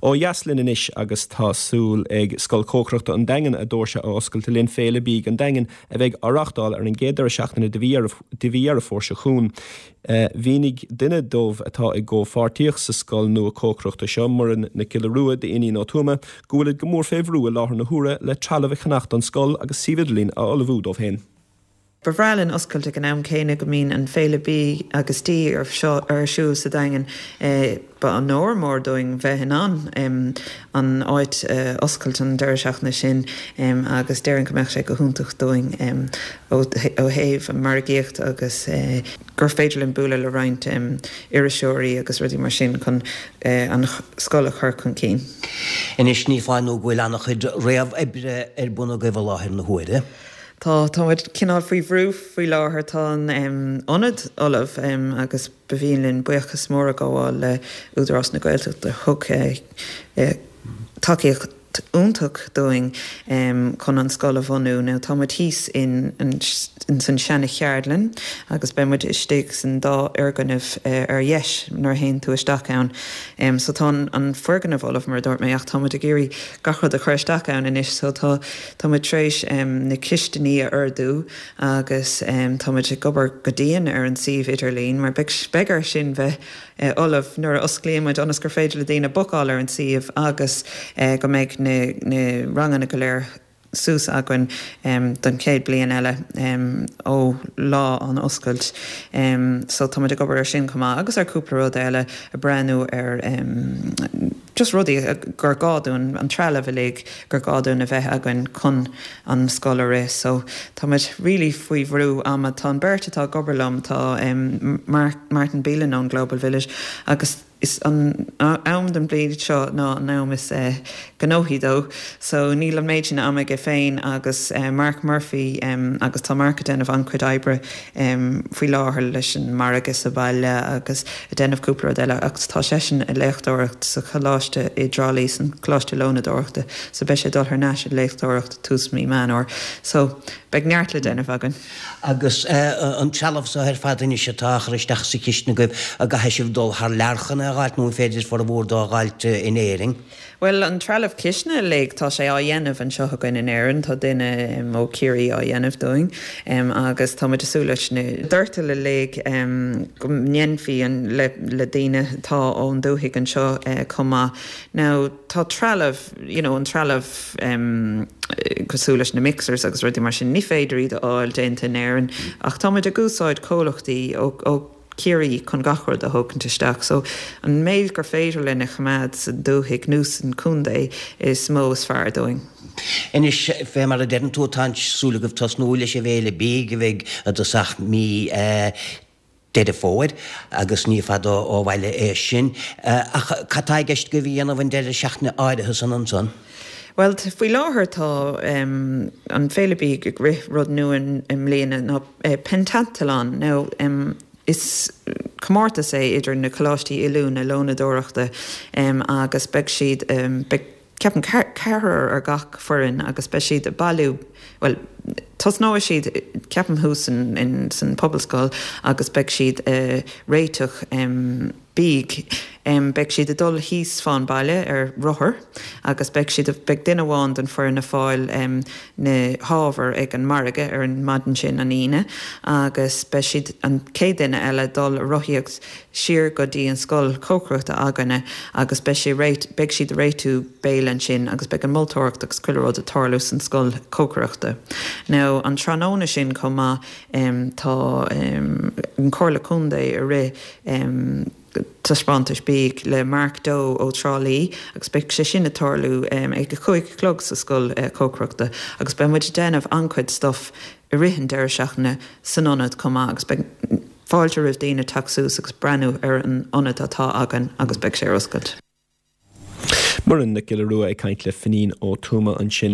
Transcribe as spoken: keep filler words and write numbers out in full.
Ó dheas linn anois agus tá súil ag Scoil Chócaireachta an Daingin a doirse a oscailt le linn Féile Bídh an Daingin a bheidh á reáchtáil ar an gcéad deireadh seachtaine de mhí Dheireadh Fómhair seo chugainn. Mhínigh duine dóibh atá i gcomhpháirtíocht sa scoil nua cócaireachta seo Muireann Nic Giolla Rua d'Iníon Ó Tuama go bhfuil go mór fé bhrú i láthair na huaire le trealamh a cheannach don scoil agus suíomh idirlín a ullmhú dóibh féin. Ba bhreá linn oscailt ag an am céanna go mbíonn an Féile Bídh agus Dí ar seo ar siúl sa Daingean ba onóir mór dúinn bheith in ann an áit oscailt an deireadh seachtaine sin agus déarfainn go mbeadh sé go hiontach dúinn ó thaobh an margaíocht agus gur féidir linn bualadh le roinnt iriseoirí agus rudaí mar sin chun an scoil a chur chun cinn. Anois ní foláir nó go bhfuil an-chuid réamhoibre ar bun agaibh i láthair na huaire. Tá tá cineál faoi bhrú faoi láthair tá an ionad ullamh agus ba mhian linn buíochas mór a ghabháil le Údarás na Gaeltachta thug tacaíocht iontach dúinn chun an scoil a bhunú. Now tá muid thíos in in san seana-cheardlann agus beidh muid istigh san dá fhoirgneamh ar dheis nuair a théann tú isteach ann. Um, so tá an foirgneamh ullamh mar dúirt mé ach tá muid ag iarraidh gach rud a chur isteach ann anois, so tá tá muid tar éis um, na cistiní a ordú agus um, tá muid ag obair go dian ar an suíomh idirlín mar beidh air sin bheith uh, ullamh nuair a osclaíonn muid ionas gur féidir le daoine bookáil ar an suíomh agus uh, go mbeidh na, na ranganna go léir suas againn um, don chéad bliain eile um, ó lá an oscailt. Um, so tá ag obair ar sin chomh maith agus ar cúpla rud eile ag breathnú ar um, just rudaí gur gá dúinn an trealamh uilig gur gá dúinn a bheith againn chun an scoil a rith. So tá muid really faoi bhrú ama tá an bheirt atá ag obair liom tá um, Martin Beelan ón Global Village agus is an am den bhliain seo ná an am is uh, gnóthaí dó, so níl an méid sin ama aige féin agus uh, Mark Murphy um, agus tá Mark ag déanamh an-chuid oibre um, faoi láthair leis an margadh sa bhaile agus ag déanamh cúpla rud eile agus tá seisean ag léachtóireacht sa choláiste i dTrá Lí san Choláiste Lónadóireachta, so beidh sé dul thar n-ais ag léachtóireacht tús mí Meán Fómhair. So beidh neart le déanamh againn. Agus uh, an trealamh seo ar fad anois atá á chur isteach sa chistin agaibh an gcaithfidh sibh dul thar lear chun é a fháilt nó féidir formhór dó a fháilt in Éirinn. Well an trealamh cistine uilig tá sé á dhéanamh anseo againn in Éirinn tá duine ó Chiarraí á dhéanamh dúinn um, agus tá súil leis na doirtil uilig um, go ndéanfaí an le, le daoine tá ón dúthaigh anseo uh, chomh maith. Now tá trealamh you know, an trealamh um, cosúil leis na mixers agus rudaí mar sin ní féidir iad a fháil déanta in Éirinn ach táimid ag úsáid comhlachtaí ó, ó Ciarraí chun gach rud a thógaint isteach, so an méid gur féidir linn a choimeád sa dúthaigh nó san chontae is mó is fearr dúinn. Anois fé mar a deireann tú tá súil agaibh tosnú leis an bhFéile Bídh a bheidh i dtosach mí Deireadh Fómhair agus ní fada ó bhaile é sin ach cad tá i gceist agaibh a dhéanamh an deireadh seachtaine áirithe san ansan. Well faoi láthair tá um, an Féile Bídh ag rith rud nua i mbliana ná uh, pentathlon now um, is comórtas é idir na coláistí oiliúna lónadóireachta um, agus beidh siad um, beidh ceapaim ceathrar ar gach foireann agus beidh siad bailiú well tosnóidh siad ceapaim thuas in, in san pobalscoil agus beidh siad uh, réiteach um, bídh um, beidh siad ag dul thíos fán baile ar rothar agus beidh siad beidh duine amháin den foireann ag fáil um, na hábhair ag an margadh ar an maidin sin an Aoine agus beidh siad an chéad duine eile dul rothaíocht siar go dtí an scoil chócaireachta againne agus beidh sé réit beidh siad réitiú béile ansin agus beidh an moltóireacht agus chuile rud ag tarlú san scoil chócaireachta. Now an tráthnóna sin chomh maith um, tá um, an Chomhairle Contae ag rith um, taispeántas bídh le Mark Doe ó Thrá Lí agus beidh sé sin ag tarlú um, ag a cúig a chlog sa scoil uh, chócaireachta agus beidh muid déanamh an-chuid stuff i rith an deireadh seachtaine san ionad chomh maith agus beidh fáilte roimh daoine teacht suas agus breathnú ar an ionad atá againn agus beidh sé ar oscailt. Muireann Nic Giolla Rua ag caint le Finín Ó Tuama ansin.